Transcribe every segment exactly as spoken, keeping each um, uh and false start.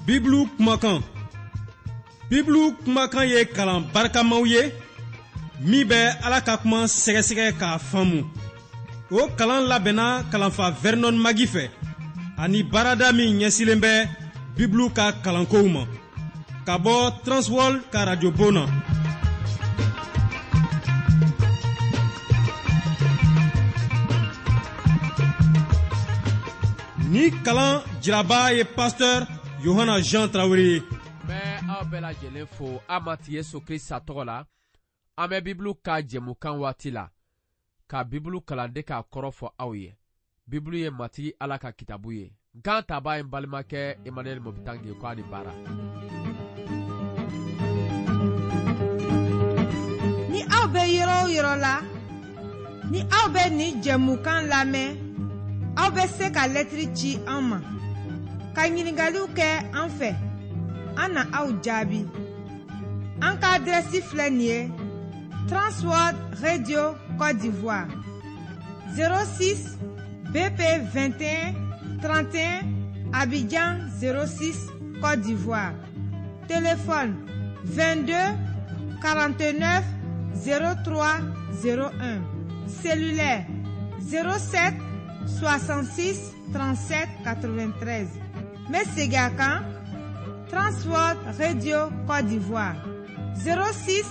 Bibulu kumakan. Bibulu kumakan ye kalan barikamaw ye min bɛ Ala ka kuma sɛgɛsɛgɛ k'a faamu. O kalan labɛnna kalanfa Vernon Magi fɛ ani baarada min ɲɛsilen bɛ Bibulu ka kalankow ma ka bɔ Transworld ka radio bon na. Ni kalan jiraba ye pasteur Yohana Jean Traoré ye. Bɛ aw bɛɛ lajɛlen fo an Matigi Yesu Krista tɔgɔ la. An bɛ Bibulu ka jɛmukan waati la ka Bibulu kalanden k'a kɔrɔ fɔ aw ye. Bibulu ye Matigi Ala ka kitabu ye. Nkan taba ye n balimakɛ Emmanuel Mobitange ko a ni baara. Ni aw bɛ yɔrɔ o yɔrɔ la, ni aw bɛ nin jɛmukan lamɛn, aw bɛ se ka lɛtiri ci an ma, ka ɲininkaliw kɛ an fɛ, an na aw jaabi. An ka adrɛsi filɛ nin ye: Transworld Radio Côte d'Ivoire, zéro six B P vingt et un trente et un, Abidjan zéro six Côte d'Ivoire. Téléphone vingt-deux quarante-neuf zéro trois zéro un. Cellulaire zéro sept soixante-six trente-sept quatre-vingt-treize. N bɛ segin a kan: Transworld Radio Côte d'Ivoire, zéro six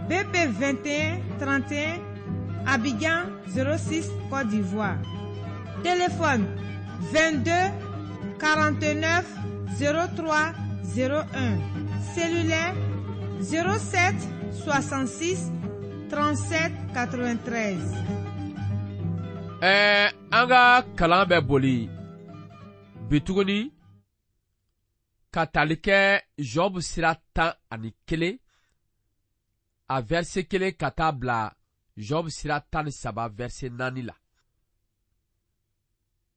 B P vingt et un trente et un, Abidjan zéro six Côte d'Ivoire. Téléphone vingt-deux quarante-neuf zéro trois zéro un. Cellulaire zéro sept soixante-six trente-sept quatre-vingt-treize. Ɛɛ, an ka kalan bɛ boli bi tuguni ka tali kɛ Job sira tan ani kelen a verset kelen ka taa bila Job sira tan ni saba verset naani la.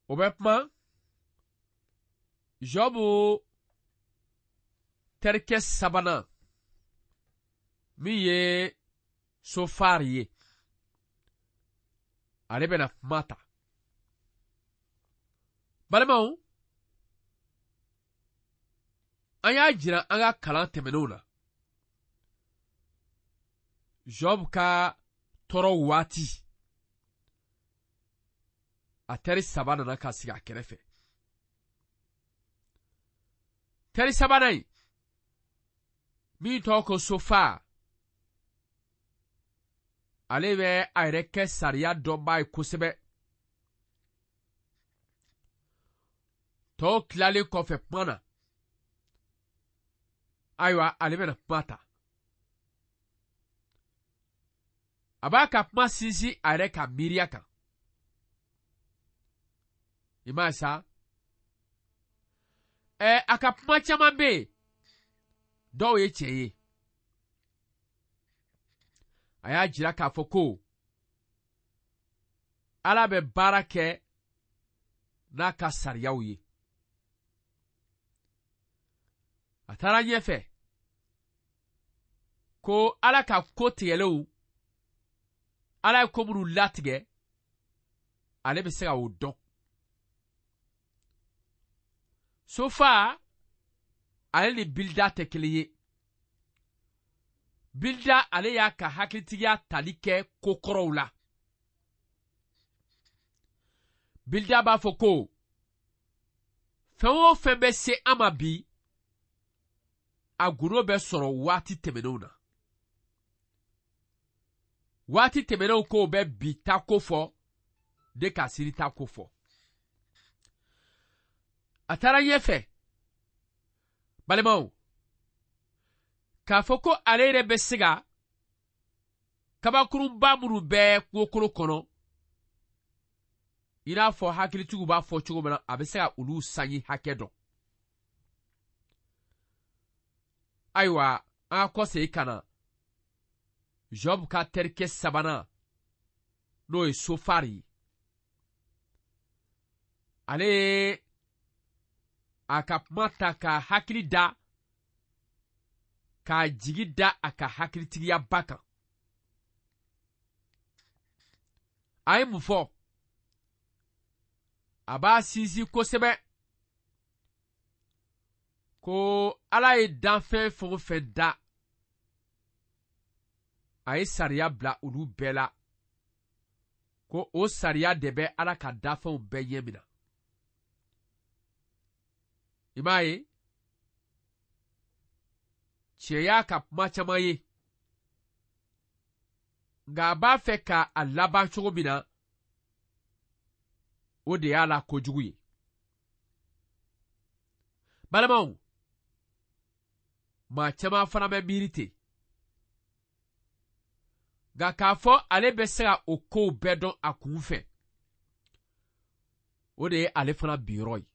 O bɛ kuma Job terikɛ sabanan min ye Sofar ye, ale bɛna kuma ta. Balimaw, an y'a jira an ka kalan tɛmɛnenw na, Job ka tɔɔrɔ waati, a teri saba nana ka sigi a kɛrɛfɛ. Teri sabanan in min tɔgɔ ko Sofar, ale bɛ a yɛrɛ kɛ sariya dɔnbaa ye kosɛbɛ. Tɔw tilalen kɔfɛ kuma na, ayiwa, ale bɛna kuma ta. A b'a ka kuma sinsin a yɛrɛ ka miiriya kan. I m'a ye sa? Ɛ, a ka kuma caman bɛ yen, dɔw ye tiɲɛ ye. A y'a jira k'a fɔ ko Ala bɛ baara kɛ n'a ka sariyaw ye. A taara ɲɛfɛ ko Ala ka ko tigɛlenw, Ala ye ko minnu latigɛ, ale bɛ se ka o dɔn. Sofa, ale ni Bilda tɛ kelen ye. Bilda, ale y'a ka hakilitigiya tali kɛ ko kɔrɔw la. Bilda b'a fɔ ko fɛn o fɛn bɛ se an ma bi, a gundo bɛ sɔrɔ waati tɛmɛnenw na. Waati tɛmɛnenw kow bɛ bi ta ko fɔ de ka sini ta ko fɔ. A taara ɲɛfɛ, balimaw, k'a fɔ ko ale yɛrɛ bɛ se ka kabakurunba minnu bɛ kungokolo kɔnɔ, i n'a fɔ hakilitigiw b'a fɔ cogo min na, a bɛ se ka olu sanji hakɛ dɔn. Ayiwa, an ka kɔsegin ka na Job ka terikɛ sabanan, n'o ye Sofar ye. Ale ye a ka kuma ta ka hakili da, k'a jigi da a ka hakilitigiyaba kan. A ye mun fɔ? A b'a sinsin kosɛbɛ Ko Ala ye danfɛn fɛn o fɛn da, a ye sariya bila olu bɛɛ la, ko o sariya de bɛ Ala ka danfɛnw bɛɛ ɲɛ minɛ. I m'a ye, cɛ y'a ka kuma caman ye, nka a b'a fɛ ka a laban cogo min na, o de y'a la kojugu ye. Balimaw, maa caman fana bɛ miiri ten, nka k'a fɔ ale bɛ se ka o kow bɛɛ dɔn a kun fɛ, o de ye ale fana binyɔrɔ ye.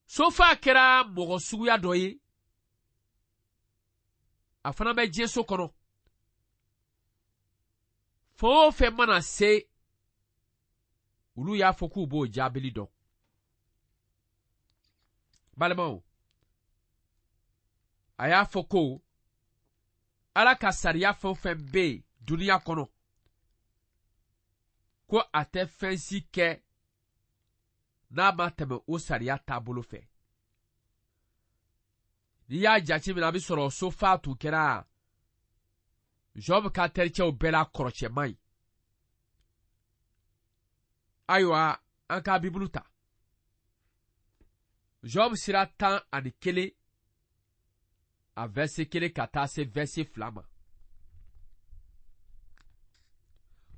Sofa kɛra mɔgɔ suguya dɔ ye, a fana bɛ diɲɛso kɔnɔ. Fɛn o fɛn mana se, olu y'a fɔ k'u b'o jaabili dɔn. Balimaw, a y'a fɔ ko Ala ka sariya fɛn o fɛn bɛ yen dunuya kɔnɔ, ko a tɛ fɛn si kɛ n'a ma tɛmɛ o sariya taabolo fɛ. N'i y'a jateminɛ, a bɛ sɔrɔ Sofa tun kɛra Job ka tericɛw bɛɛ la kɔrɔcɛman ye. Ayiwa, an ka Bibulu ta. Job sira tan ani kelen, a verset kelen ka taa se verset fila ma.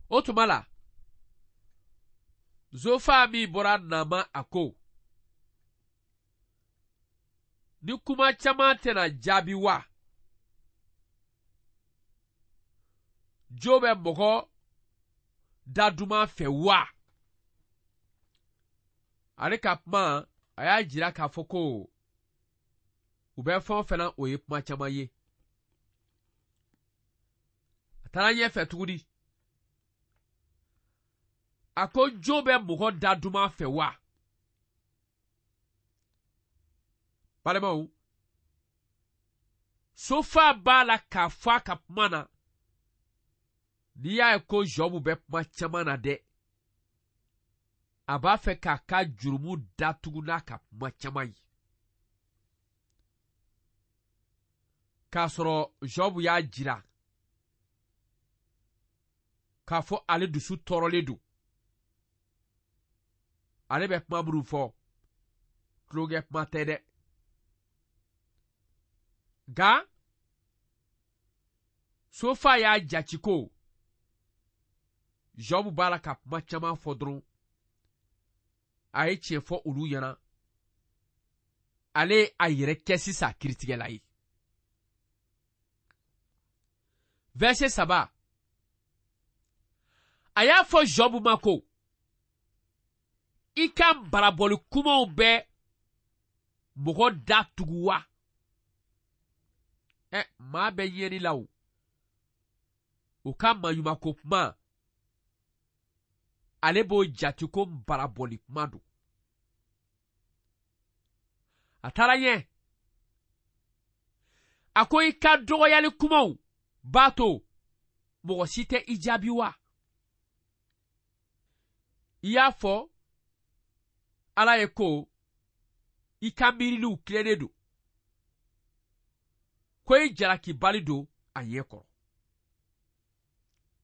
O tuma la, Zofa min bɔra Nama, a ko, ni kuma caman tɛna jaabi wa? Jo bɛ mɔgɔ da duman fɛ wa? Ale ka kuma, a y'a jira k'a fɔ ko u bɛ fɛn o fɛn na, o ye kuma caman ye. A taara ɲɛfɛ tuguni. A ko jo bɛ mɔgɔ da duman fɛ wa? Balimaw, Sofa b'a la k'a fɔ a ka kuma na, n'i y'a ye ko Job bɛ kuma caman na dɛ, a b'a fɛ k'a ka jurumu datugu n'a ka kuma caman ye. K'a sɔrɔ Job y'a jira k'a fɔ ale dusu tɔɔrɔlen don. Ale bɛ kuma minnu fɔ, tulonkɛ kuma tɛ dɛ. Nka Sofa y'a jate ko Job b'a la ka kuma caman fɔ dɔrɔn, a ye tiɲɛ fɔ olu ɲɛna. Ale ye a yɛrɛ kɛ sisan kiiritigɛla ye. Verset saba, a y'a fɔ Job ma ko, i ka barabɔli kumaw bɛ mɔgɔ da tugu wa? Ɛ, maa bɛ ɲɛni la o. O ka maɲumako kuma, ale b'o jate ko barabɔli kuma don. A taara ɲɛ. A ko i ka dɔgɔyali kumaw b'a to mɔgɔ si tɛ i jaabi wa? I y'a fɔ Ala ye ko i ka miiriliw tilennen don, ko i jalakibali don a ɲɛ kɔrɔ.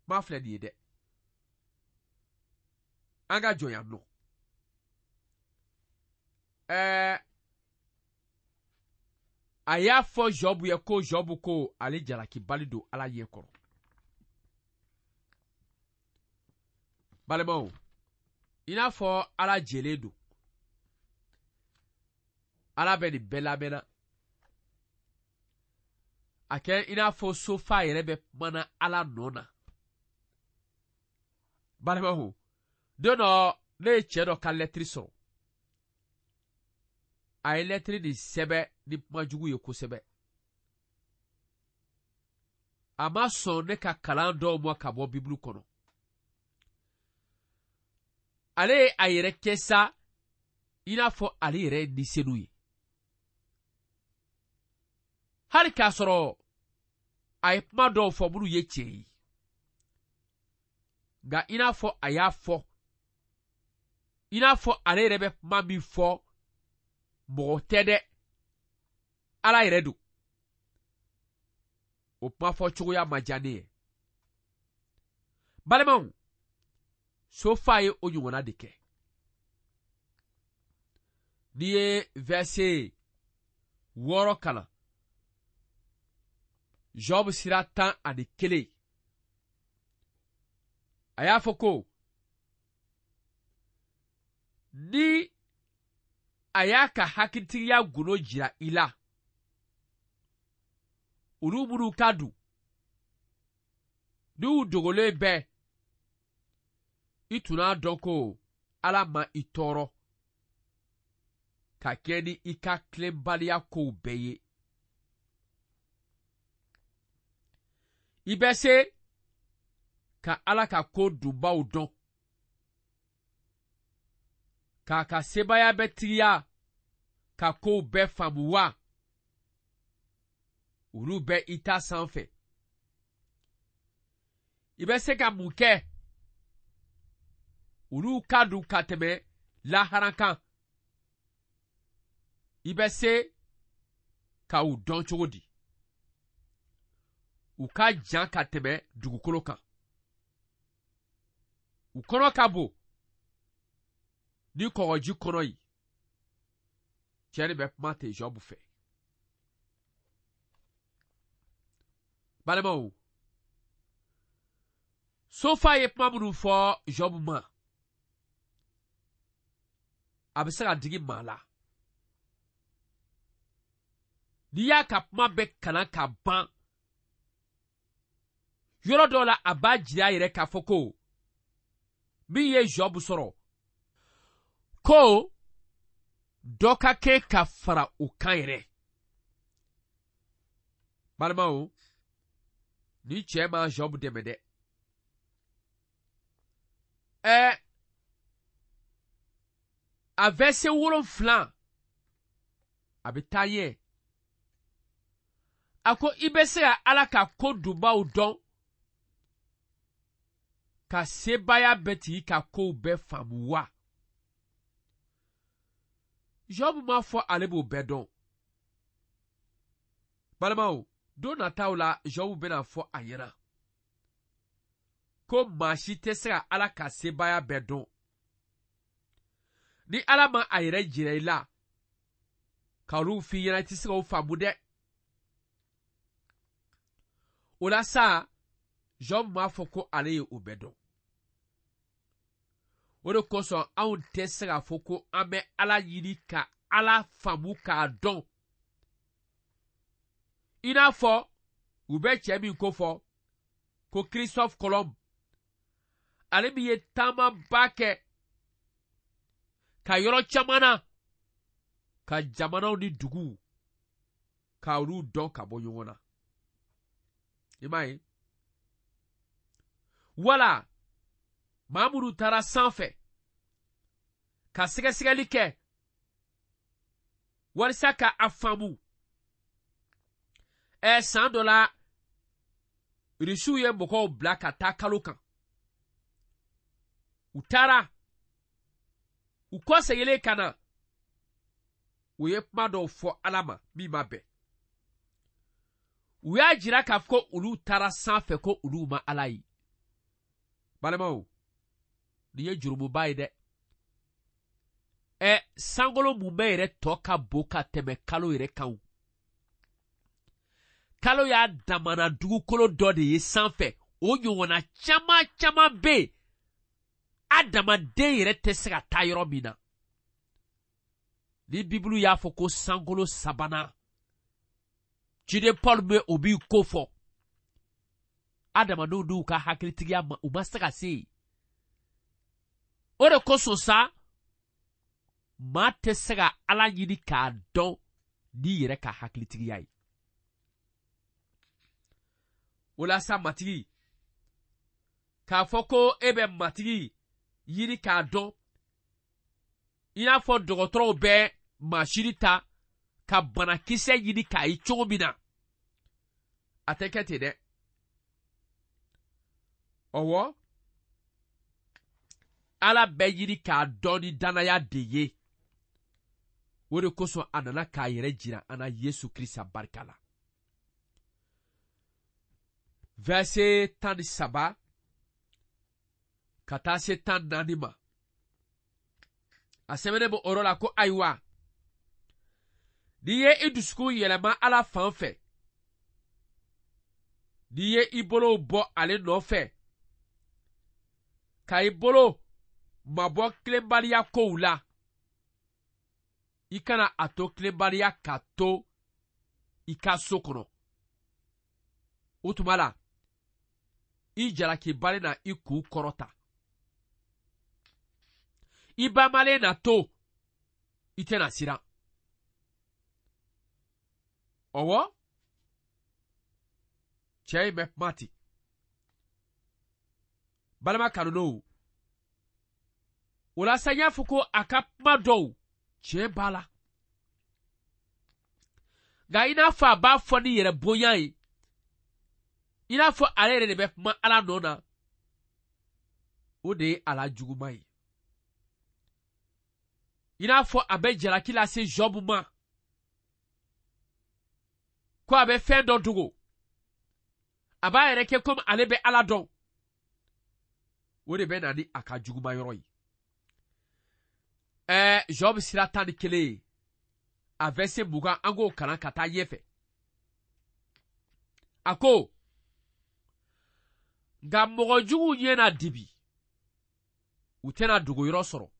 Kuma filɛ nin ye dɛ. An ka jɔ yan nɔ. Ɛɛ, a y'a fɔ Job ye ko Job ko ale jalakibali don Ala ɲɛ kɔrɔ. Balimaw, i n'a fɔ Ala jɛlen don. Ala bɛ nin bɛɛ lamɛnna. A kɛ i n'a fɔ Sofa yɛrɛ bɛ kumana Ala nɔ na. Balimaw, don dɔ ne ye cɛ dɔ ka lɛtiri sɔrɔ. A ye lɛtiri nin sɛbɛn ni kuma jugu ye kosɛbɛ. A ma sɔn ne ka kalan dɔw ma ka bɔ Bibulu kɔnɔ. Ale ye a yɛrɛ kɛ sa i n'a fɔ ale yɛrɛ ye nisenu ye. Hali k'a sɔrɔ a ye kuma dɔw fɔ minnu ye tiɲɛ ye. Nka i n'a fɔ a y'a fɔ, i n'a fɔ ale yɛrɛ bɛ kuma min fɔ Mɔgɔ tɛ dɛ, Ala yɛrɛ don. O kuma fɔ cogoya ma diya ne ye. Balimaw, Sofa ye o ɲɔgɔnna de kɛ. N'i ye verset wɔɔrɔ kalan, Job sira tan ani kelen, a y'a fɔ ko ni a y'a ka hakilitigiya gundo jira i la, olu minnu ka dun, n'u dogolen bɛ, i tun n'a dɔn ko Ala ma i tɔɔrɔ ka kɛ ni i ka tilenbaliya kow bɛɛ ye. I bɛ se ka Ala ka ko dunbaw dɔn, k'a ka sebaaya bɛɛ tigiya ka kow bɛɛ faamu wa? Olu bɛ i ta sanfɛ. I bɛ se ka mun kɛ? Olu ka dun ka tɛmɛ lahara kan. I bɛ se ka u dɔn cogo di? U ka jan ka tɛmɛ dugukolo kan. U kɔnɔ ka bon ni kɔgɔji kɔnɔ ye. Cɛ de bɛ kuma ten Job fɛ. Balimaw, Sofa ye kuma minnu fɔ Job ma, a bɛ se ka digi maa la. N'i y'a ka kuma bɛɛ kalan ka ban, yɔrɔ dɔw la a b'a jira a yɛrɛ k'a fɔ ko min ye Job sɔrɔ, ko dɔ ka kɛ ka fara o kan yɛrɛ. Balimaw, ni cɛ ma Job dɛmɛ dɛ. Ɛɛ, a verset wolonfila, a bɛ taa ɲɛ. A ko i bɛ se ka Ala ka ko dunbaw dɔn, ka sebaaya bɛɛ tigi ka kow bɛɛ faamu wa? Job m'a fɔ ale b'o bɛɛ dɔn. Balimaw, don nataw la Job bɛna fɔ a ɲɛna ko maa si tɛ se ka Ala ka sebaaya bɛɛ dɔn. Ni Ala ma a yɛrɛ jira i la, ka olu f'i ɲɛna, i tɛ se k'o faamu dɛ. O la sa, Job m'a fɔ ko ale ye o bɛɛ dɔn. O de kosɔn anw tɛ se k'a fɔ ko an bɛ Ala ɲini ka Ala faamu k'a dɔn. I n'a fɔ u bɛ cɛ min ko fɔ ko Christophe Colomb, ale min ye taamaba kɛ ka yɔrɔ caman na, ka jamanaw ni duguw ka olu dɔn ka bɔ ɲɔgɔn na. I m'a ye? Wala maa minnu taara sanfɛ ka sɛgɛsɛgɛli kɛ walisa ka a faamu. Ɛ, san dɔ la Irisiw ye mɔgɔw bila ka taa kalo kan. U taara, u kɔsegilen ka na, u ye kuma dɔw fɔ Ala ma min ma bɛn. U y'a jira k'a fɔ ko olu taara sanfɛ ko olu ma Ala ye. Balimaw, nin ye jurumuba ye dɛ. Ɛ, sankolo mun bɛɛ yɛrɛ tɔ ka bon ka tɛmɛ kalo yɛrɛ kan o. Kalo y'a damana dugukolo dɔ de ye sanfɛ, o ɲɔgɔnna caman caman bɛ yen, adamaden yɛrɛ tɛ se ka taa yɔrɔ min na. Ni Bibulu y'a fɔ ko sankolo sabanan, ciden Paul bɛ o b'i ko fɔ. Adamadenw n'u ka hakilitigiya ma, u ma se ka se yen. O de kosɔn sa, maa tɛ se ka Ala ɲini k'a dɔn n'i yɛrɛ ka hakilitigiya ye. O la sa, Matigi, k'a fɔ ko e bɛ Matigi ɲini k'a dɔn, i n'a fɔ dɔgɔtɔrɔw bɛ masini ta ka banakisɛ ɲini k'a ye cogo min na, a tɛ kɛ ten dɛ. Ɔwɔ, Ala bɛ ɲini k'a dɔn ni danaya de ye. O de kosɔn a nana k'a yɛrɛ jira an na Yesu Krista barika la. Verset tan ni saba ka taa se tan naani ma. A sɛbɛnnen bɛ o yɔrɔ la ko ayiwa, n'i ye i dusukun yɛlɛma Ala fan fɛ, n'i ye i bolow bɔ ale nɔfɛ, ka i bolo mabɔ tilenbaliya kow la, i kana a to tilenbaliya ka to i ka so kɔnɔ. O tuma la, i jalakibali na i kun kɔrɔta. I banbalen na to, i tɛna siran. Ɔwɔ, cɛ in bɛ kuma ten. Balima kanulenw, o la sa n y'a fɔ ko a ka kuma dɔw tiɲɛ b'a la. Nka i n'a fɔ a b'a fɔ ni yɛrɛ bonya ye, i n'a fɔ ale yɛrɛ de bɛ kuma Ala nɔ na, o de ye a la juguman ye. I n'a fɔ a bɛ jalaki lase Job ma, ko a bɛ fɛn dɔ dogo, a b'a yɛrɛ kɛ komi ale bɛ Ala dɔn. O de bɛ na ni a ka juguman yɔrɔ ye. Ɛɛ Job sira tan ni kelen ye, a verset mugan, an k'o kalan ka taa ɲɛfɛ. A ko, nka mɔgɔ juguw ɲɛ na dibi, u tɛna dogoyɔrɔ sɔrɔ,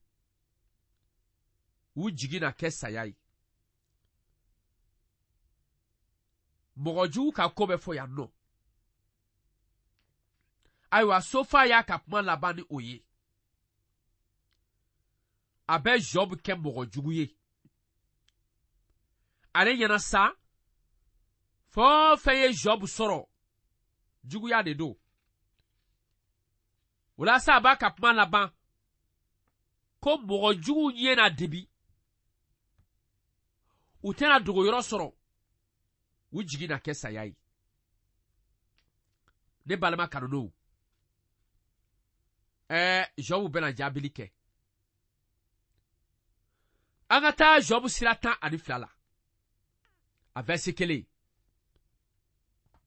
u jigi na kɛ saya ye. Mɔgɔ jugu ka ko bɛ fɔ yan nɔ. Ayiwa, Sofa y'a ka kuma laban ni o ye. A bɛ Job kɛ mɔgɔ jugu ye. Ale ɲɛna sa, fɛn o fɛn ye Job sɔrɔ, juguya de don. O la sa, a b'a ka kuma laban ko mɔgɔ juguw ɲɛ na dibi, u tɛna dogoyɔrɔ sɔrɔ, u jigi na kɛ saya ye. Ne balima kanulenw, ɛɛ Job bɛna jaabili kɛ. An ka taa Job sira tan ani fila la, a verset kelen.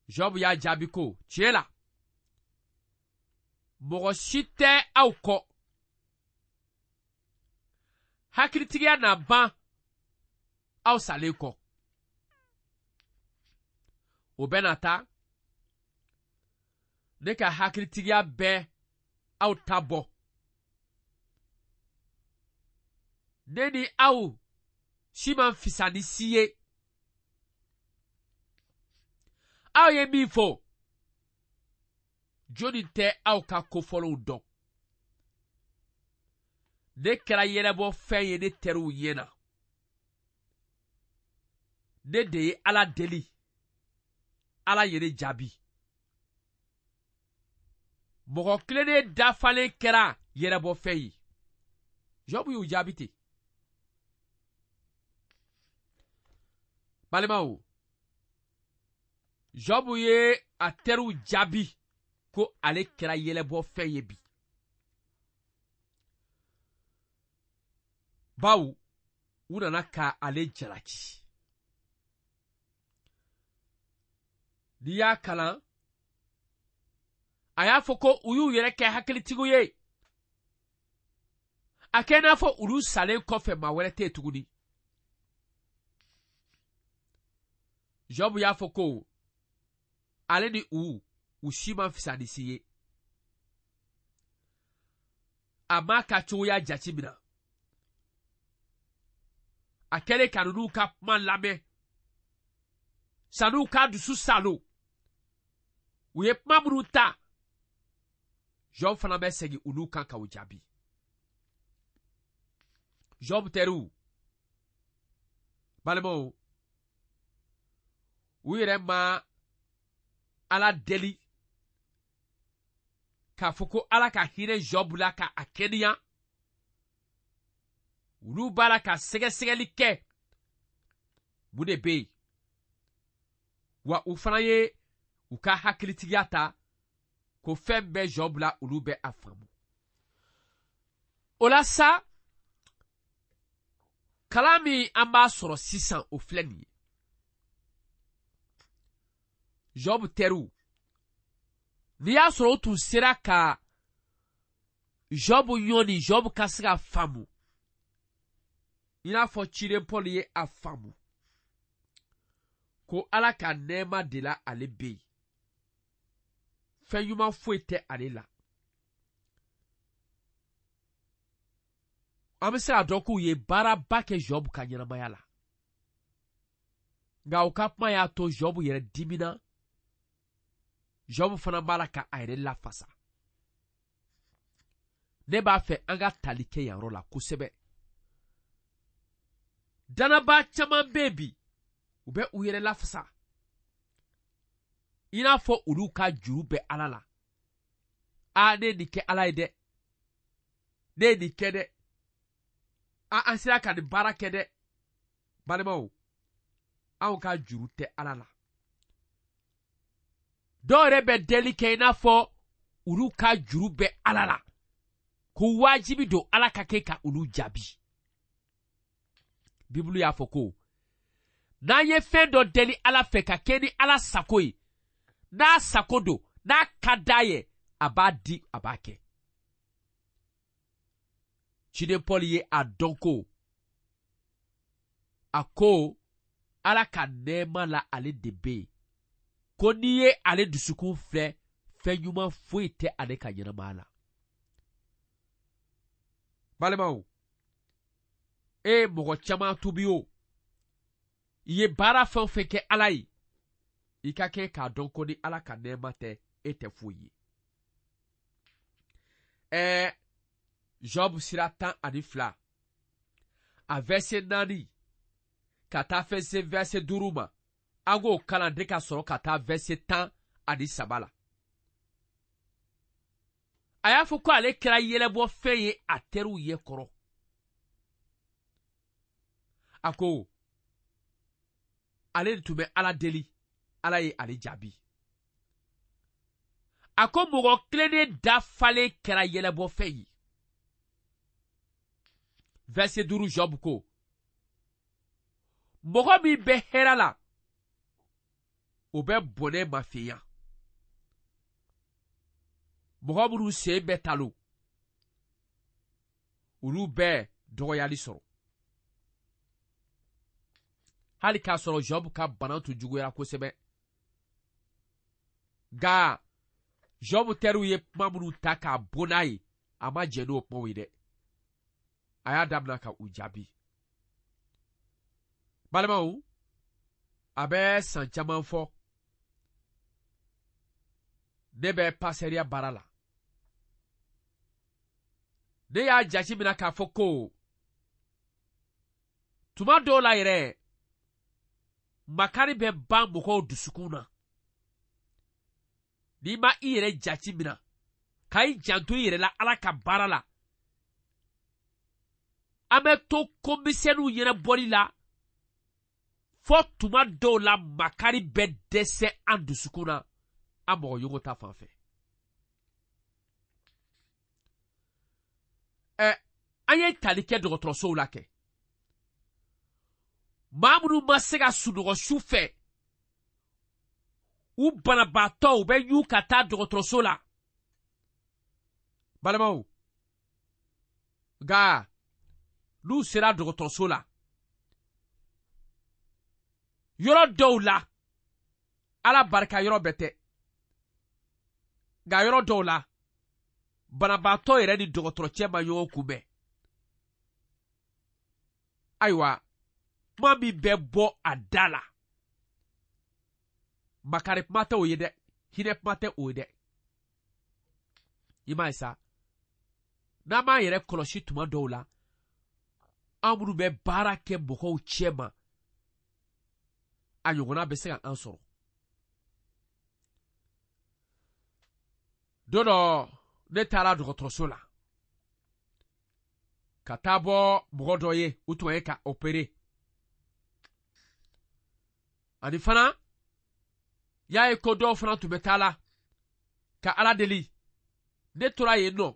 Job y'a jaabi ko, tiɲɛ la, mɔgɔ si tɛ aw kɔ. Hakilitigiya na ban aw salen kɔ. O bɛ na taa, ne ka hakilitigiya bɛ aw ta bɔ. Ne ni aw si man fisa ni si ye. Aw ye min fɔ, jɔnni tɛ aw ka kofɔlenw dɔn? Ne kɛra yɛlɛbɔ fɛn ye ne teriw ɲɛ na. Ne de ye Ala deli, Ala ye ne jaabi. Mɔgɔ tilennen dafalen kɛra yɛlɛbɔ fɛn ye. Job y'u jaabi ten. Balimaw, Job ye a teriw jaabi ko ale kɛra yɛlɛbɔ fɛn ye bi. Bawo, u nana ka ale jalaki. N'i y'a kalan, a y'a fɔ ko u y'u yɛrɛ kɛ hakilitigiw ye. A kɛ i n'a fɔ olu salen kɔfɛ maa wɛrɛ tɛ yen tuguni. Job y'a fɔ ko ale ni u, u si man fisa ni si ye. A m'a ka cogoya jate minɛ. A kɛlen ka ninnu ka kuma lamɛn, san'u ka dusu salo, u ye kuma minnu ta, Job fana bɛ segin olu kan ka u jaabi. Job teriw, balimaw, u yɛrɛ ma Ala deli k'a fɔ ko Ala ka hinɛ Job la ka a kɛnɛya. Olu b'a la ka sɛgɛsɛgɛli kɛ, mun de bɛ yen? Wa u fana ye u ka hakilitigiya ta ko fɛn bɛɛ Job la, olu bɛ a faamu. O la sa, Kalan min an b'a sɔrɔ sisan o filɛ nin ye. Job teriw, n'i y'a sɔrɔ o tun sera ka Job ɲɔni, Job ka se ka faamu i n'a fɔ ciden Paul ye a faamu ko Ala ka nɛɛma de la ale bɛ yen, fɛn ɲuman foyi tɛ ale la. An bɛ se k'a dɔn k'u ye baaraba kɛ Job ka ɲɛnamaya la, nka u ka kuma y'a to Job yɛrɛ dimina. Job fana b'a la ka a yɛrɛ lafasa. Ne b'a fɛ an ka tali kɛ yan yɔrɔ la kosɛbɛ. Danabaa caman bɛ yen bi, u bɛ u yɛrɛ lafasa i n'a fɔ olu ka juru bɛ Ala la. Aa, ne ye nin kɛ Ala ye dɛ, ne ye nin kɛ dɛ, a an sera ka nin baara kɛ dɛ. Balimaw, anw ka juru tɛ Ala la. Dɔw yɛrɛ bɛ deli kɛ i n'a fɔ olu ka juru bɛ Ala la, ko wajibi don Ala ka kɛ ka olu jaabi. Bibulu y'a fɔ ko n'an ye fɛn dɔ deli Ala fɛ ka kɛ ni Ala sago ye, n'a sago don, n'a ka d'a ye, a b'a di, a b'a kɛ. Ciden Paul ye a dɔn ko a ko Ala ka nɛɛma la ale de bɛ yen, ko n'i ye ale dusukun filɛ, fɛn ɲuman foyi tɛ ale ka ɲɛnamaya la. Balimaw, e mɔgɔ caman tubi o, i ye baara fɛn o fɛn kɛ Ala ye, i ka kɛ k'a dɔn ko ni Ala ka nɛɛma tɛ, e tɛ foyi ye. Ɛɛ, Job sira tan ani fila, a verset naani ka taa fɛn se verset duuru ma, an k'o kalan de ka sɔrɔ ka taa verset tan ani saba la. A y'a fɔ ko ale kɛra yɛlɛbɔfɛn ye a teriw ɲɛ kɔrɔ. A ko ale de tun bɛ Ala deli, Ala ye ale jaabi. A ko mɔgɔ tilennen dafalen kɛra yɛlɛbɔfɛn ye. Verset duuru, Job ko mɔgɔ min bɛ hɛrɛ la, o bɛ bɔnɛ mafeya. Mɔgɔ minnu sen bɛ talo, olu bɛ dɔgɔyali sɔrɔ. Hali k'a sɔrɔ Job ka bana tun juguyara kosɛbɛ, nka Job teriw ye kuma minnu ta k'a bon n'a ye, a ma jɛn n'o kumaw ye dɛ. A y'a daminɛ ka u jaabi. Balimaw, a bɛ san caman fɔ ne bɛ pasɛriya baara la. Ne y'a jate minɛ k'a fɔ ko tuma dɔw la yɛrɛ, makari bɛ ban mɔgɔw dusukun na. N'i ma i yɛrɛ jate minɛ ka i janto i yɛrɛ la Ala ka baara la, an bɛ to komisɛnninw ɲɛnabɔli la fɔ tuma dɔw la makari bɛ dɛsɛ an dusukun na an mɔgɔ ɲɔgɔn ta fan fɛ. Ɛ, an ye tali kɛ dɔgɔtɔrɔsow la kɛ. Maa minnu ma se ka sunɔgɔ su fɛ, u banabaatɔ u bɛ ɲu ka taa dɔgɔtɔrɔso la. Balimaw, nka n'u sera dɔgɔtɔrɔso la, yɔrɔ dɔw la, Ala barika yɔrɔ bɛɛ tɛ, nka yɔrɔ dɔw la, banabaatɔ yɛrɛ ni dɔgɔtɔrɔcɛ ma ɲɔgɔn kunbɛn. Ayiwa, kuma min bɛ bɔ a da la, makari kuma tɛ o ye dɛ, hinɛ kuma tɛ o ye dɛ. I m'a ye sa, n'an m'an yɛrɛ kɔlɔsi tuma dɔw la, an minnu bɛ baara kɛ mɔgɔw cɛ ma, a ɲɔgɔnna bɛ se ka an sɔrɔ. Don dɔ, ne taara dɔgɔtɔrɔso la ka taa bɔ mɔgɔ dɔ ye, u tun ye ka opere. Ani fana, y'a ye ko dɔw fana tun bɛ taa la ka Ala deli. Ne tora yen nɔ,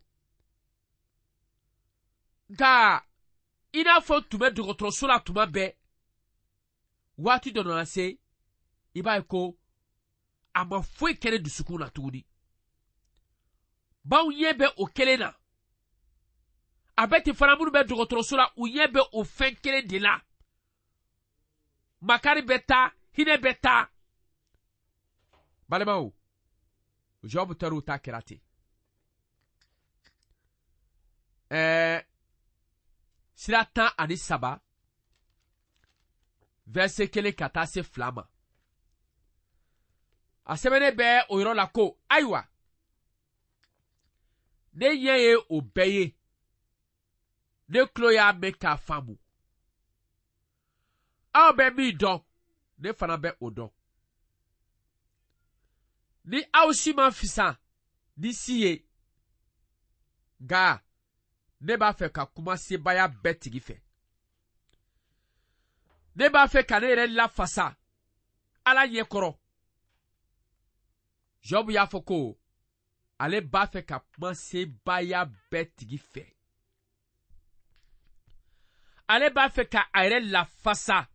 nka i I n'a fɔ tun bɛ dɔgɔtɔrɔso la tuma bɛɛ. Waati dɔ nana se, i b'a ye ko a ma foyi kɛ ne dusukun na tuguni. Baw ɲɛ bɛ o kelen na. A bɛ ten fana minnu bɛ dɔgɔtɔrɔso la, u ɲɛ bɛ o fɛn kelen de la. Makari bɛ taa, hinɛ bɛ taa. Balimaw, Job teriw ta kɛra ten. Ɛɛ sira tan ani saba, verset kelen ka taa se fila ma. A sɛbɛnnen bɛ o yɔrɔ la ko, ayiwa, ne ɲɛ ye o bɛɛ ye, ne tulo y'a mɛn k'a faamu. Aw bɛ min dɔn, ne fana bɛ o dɔn. Ni aw si ma fisa ni si ye, nka ne b'a fɛ ka kuma sebaaya bɛɛ tigi fɛ. Ne b'a fɛ ka ne yɛrɛ lafasa Ala ɲɛ kɔrɔ. Job y'a fɔ ko ale b'a fɛ ka kuma sebaaya bɛɛ tigi fɛ. Ale b'a fɛ ka a yɛrɛ lafasa,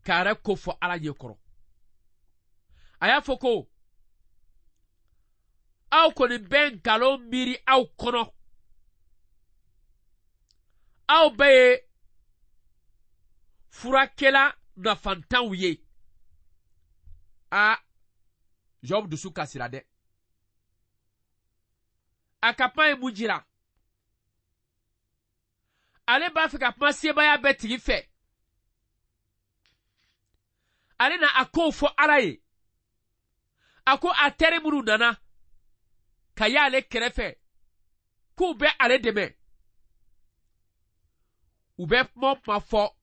k'a yɛrɛ ko fɔ Ala ɲɛ kɔrɔ. A y'a fɔ ko aw kɔni bɛ nkalon miiri aw kɔnɔ. Aw bɛɛ ye furakɛla nafantanw ye. A, Job dusu kasira dɛ. A ka kuma ye mun jira? Ale b'a fɛ ka kuma sebaaya bɛɛ tigi fɛ. Ale na a kow fɔ Ala ye. A ko a teri minnu nana ka y'ale kɛrɛfɛ k'u bɛ ale dɛmɛ. U bɛ kuma o kuma fɔ,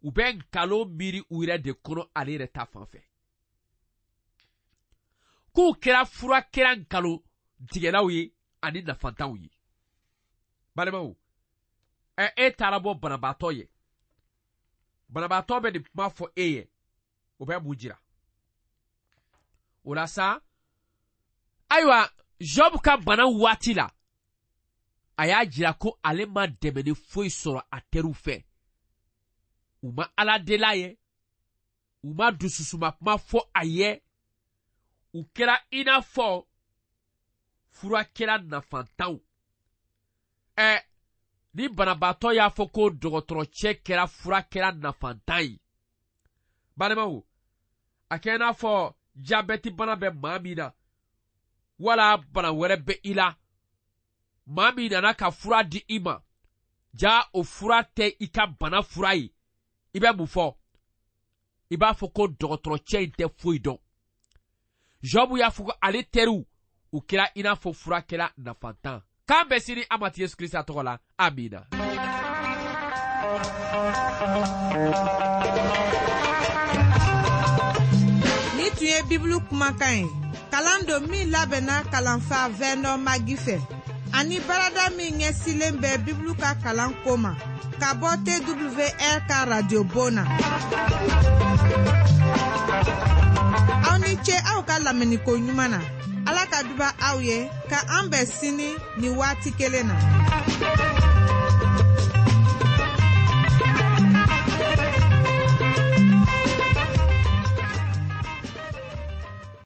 u bɛ nkalon miiri u yɛrɛ de kɔnɔ ale yɛrɛ ta fan fɛ. K'u kɛra furakɛla nkalon tigɛlaw ye ani nafantanw ye. Balimaw, ɛ e taara bɔ banabaatɔ ye. Banabaatɔ bɛ nin kuma fɔ e ye, o bɛ mun jira? O la sa, ayiwa, Job ka bana waati la, a y'a jira ko ale ma dɛmɛni foyi sɔrɔ a teriw fɛ. U ma Ala deli a ye, u ma dususuma kuma fɔ a ye, u kɛra i n'a fɔ furakɛla nafantanw. Ɛ ni banabaatɔ y'a fɔ ko dɔgɔtɔrɔcɛ kɛra furakɛla nafantan ye. Balimaw, a kɛ i n'a fɔ jabɛti bana bɛ maa min na, wala bana wɛrɛ bɛ i la, maa min nana ka fura di i ma, ja o fura tɛ i ka bana fura ye, i bɛ mun fɔ? I b'a fɔ ko dɔgɔtɔrɔcɛ in tɛ foyi dɔn. Job y'a fɔ ko ale teriw, u kɛra i n'a fɔ furakɛla nafantan. K'an bɛn sini an Matigi Yesu Kirisa tɔgɔ la. Amina. Ni tun ye Bibulu kumakan ye, kalan don min labɛnna kalanfa Vernon Magi fɛ, ani baarada min ɲɛsinnen bɛ Bibulu ka kalan ko ma, ka bɔ T W R ka radio bon na. Aw ni ce aw ka lamɛnniko ɲuman na. Ala ka duba aw ye, ka an bɛn sini ni waati kelen na.